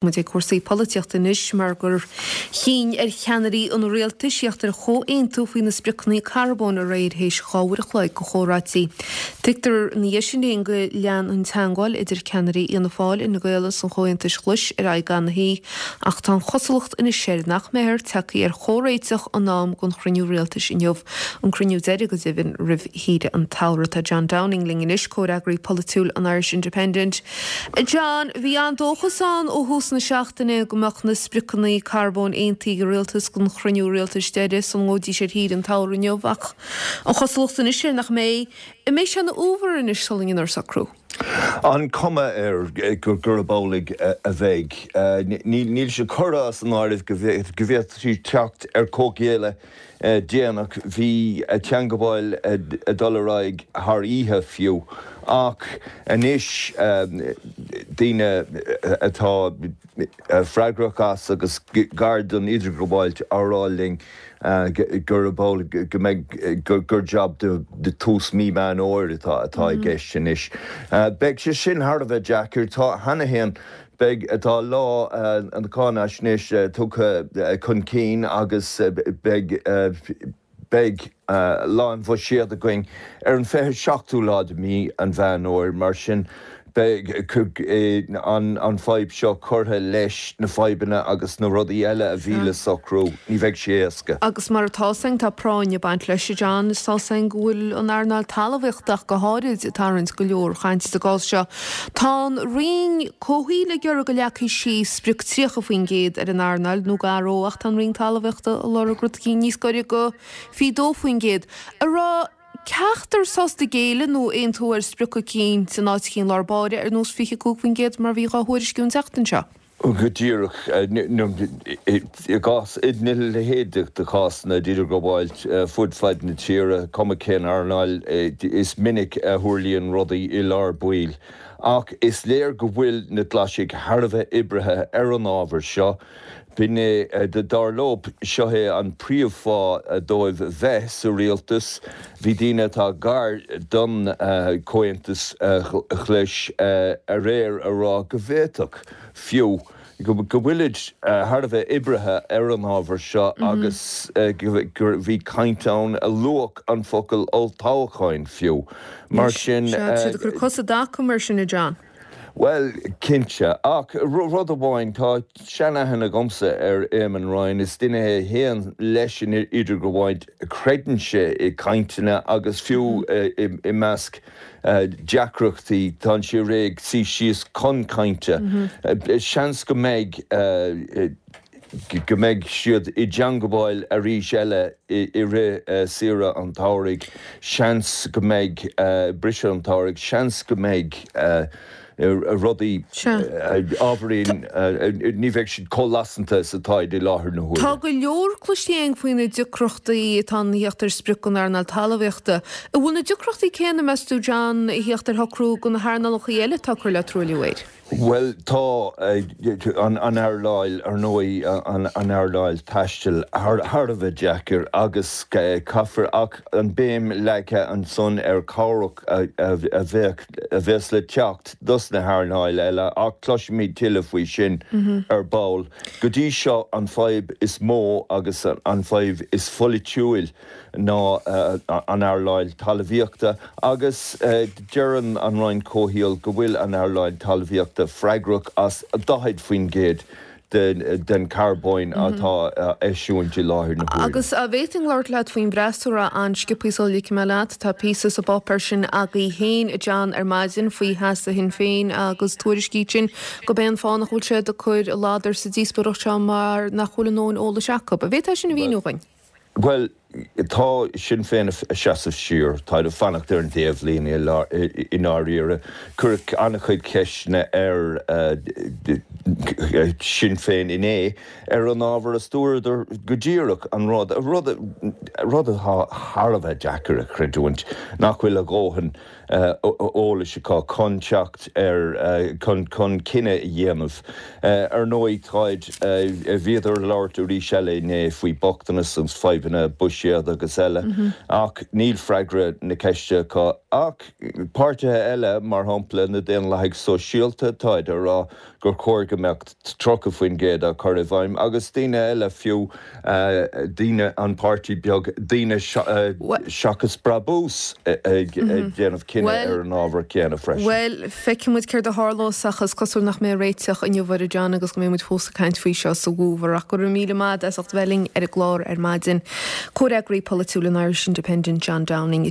Muid ag cúrsaí polaitíochta anois mar gur chinn ar cheannairí an rialtais theacht ar chomhaontú faoi na spriocanna carbóin aréir théis 2 uair a chloig de chomhráití. Tuigtear ina dhiaidh sin féin go lean an teangmháil idir ceannairí Fhianna Fáil, Fhine Gael agus an Chomhaontais Ghlais ar aghaidh ana-thaí ach tá an chosúlacht anois air nach mbeifear tagtha ar chomhréiteach in am don chruinniú rialtais inniu, an cruinniú deiridh go deimhin roimh shaoire an tsamhraidh. Tá John Downing linn anois, comhfhreagraí polaitiúil an Irish Independent. John, bhí an-dóchas ann ó thús na seachtaine go mbeadh na spriocanna carbóin aontaithe ag an rialtas don chruinniú rialtais deiridh sula ngabhfaidís ar shaoire an tsamhraidh inniu ach an chosúlacht anois air nach mbeidh. An mbeidh sé ina fhómhar anois sula ndéanfar socrú? An cuma air gurb amhlaidh a bheidh. Níl sé curtha as an áireamh go bhféadfaí teacht ar comhghéilleadh déanach. Bhí teangabháil ag dul ar aghaidh thar oíche fiú. Ach anois daoine atá freagrach as agus gar don idirghabháilt á rá linn gurb amhlaidh go mbeidh, gur jab do tús mí Meán Fhómhair atá i gceist anois. Beidh sé sin thar a bheith deacair. Tá cheana féin Beidh, tá lá na cáinaisnéise tugtha chun cinn agus beidh, beidh lá an bhuiséid againn ar an 27ú lá de mhí an Mheán Fhómhair. Mar sin, beidh an fadhb seo curtha leis na fadhbanna agus na rudaí eile a bhí le socrú. Ní bheidh sé éasca. Agus mar atá 's againn, tá práinn ag baint leis, a John. Is tá 's againn go bhfuil an earnáil talmhaíochta ach go háirid ag tarraingt go leor cainte sa gcás seo. Tá an Roinn Comhshaoil ag iarraidh go leagfaí síos sprioc 30% ar an earnáil nó gar dó ach tá an Roinn Talmhaíochta ag lorg rud eicínt níos gaire go 22%. An raibh ceachtar sásta géilleadh nó aontú ar sprioc eicínt in áit eicínt i lár báire ar nós 25% mar a bhí dhá thuairisciú an tseachtain seo? Go díreach, i gcás, ina leithéid de chásanna d'idirghabháilt fud fad na tíre, cuma cén earnáil, is minic a tharlaíonn rudaí i lár baill. Ach is léir go bhfuil na Glaisigh thar a bheith oibrithe ar an ábhar seo. B'in é, dar leo, seo é an príomhfháth dóibh bheith sa rialtas. Bhí daoine atá gar don Chomhaontas Ghlais aréir a rá go bhféadfadh, fiú, go bhfuilid thar a bheith oibrithe ar an ábhar seo agus gur bhí caint ann a luadh an focal olltoghcháin fiú. Mar sin. Sea, tá siad ag cur cos i dtaca mar sin, a John. Bhuel, cinnte. Ach rud amháin, tá seanaithne agamsa ar Éamon Ryan, is duine é a théann leis an idirghabháilt, creideann sé i gcainteanna agus fiú i measc deacrachtaí, tá sé réidh suí síos chun cainte. Seans go mbeidh go mbeidh siad i dteangabháil arís eile i rith saoire an tsamhraidh, seans go mbeidh briseadh an tsamhraidh, seans go mbeidh rudaí ábhairín, ní bheidh siad chomh lasanta is atáid i láthair na huaire. Tá go leor cloiste againn faoi na deacrachtaí atá ann a theacht ar sprioc don earnáil talmhaíochta. An bhfuil na deacrachtaí céanna, meas tú, John, a theacht ar shocrú do na hearnálacha eile atá ag cur le truailliú aeir? Bhuel, tá an earnáil, ar ndóigh, an earnáil taistil thar a bheith deacair agus caithfear, ach an béim leagtha ansan ar chabhrach a bheadh, a bheas le teacht dos na hearnáil eile ach cloisfimid tuilleadh faoi sin ar ball. Go dtí seo an fadhb is mó agus an fadhb is pholaitiúil ná an earnáil talmhaíochta agus deireann an Roinn Comhshaoil go bhfuil an earnáil talmhaíochta freagrach as 40% den charbóin atá á eisiúint i láthair na huaire. Agus an bhféadfainn labhairt leat faoin bhfreasúra an-sciobtha sula ligfidh mé leat? Tá píosa sa bpáipéar sin agaibh féin, a John, ar maidin faoi sheasamh Shinn Féin agus tuairiscíonn sin gurb é an fáth nach bhfuil siad ag cur a ladar sa díospóireacht seo mar nach bhfuil a ndóthain eolais acu. An bhféadfá sin a mhíniú dhuinn? Bhuel, tá Sinn Féin ag seasamh siar, táid ag fanacht ar an dtaobhlíne i ndáiríre. Cuireadh an-chuid ceisteanna ar Shinn Féin inné ar an ábhar is dúradar go díreach an rud, rud. rud atá thar a bheith deacair a chreidiúint, nach bhfuil a dhóthain eolais acu chun teacht ar, chun, chun cinneadh a dhéanamh. Ar ndóigh, táid, bhíodar ag labhairt arís eile inné faoi bochtanas agus fadhbanna buiséad agus eile, ach níl freagra na ceiste acu. Ach páirtithe eile, mar shampla na Daonlathaigh Sóisialta, táid ag rá gur chóir go mbeadh 30% á chur i bhfeidhm agus daoine eile fiú, daoine, an páirtí beag, Daoine Seachas Brabús ag déanamh cinneadh ar an ábhar céanna freisin. Bhuel, feicfidh muid céard a tharlós ach is cosúil nach mbeidh réiteach inniu air, a John, agus go mbeidh muid fós ag caint faoi seo sa bhfómhar. Ach go raibh míle maith agat as ucht bheith linn ar an gclár ar maidin. Comhfhreagraí polaitiúil an Irish Independent, John Downing.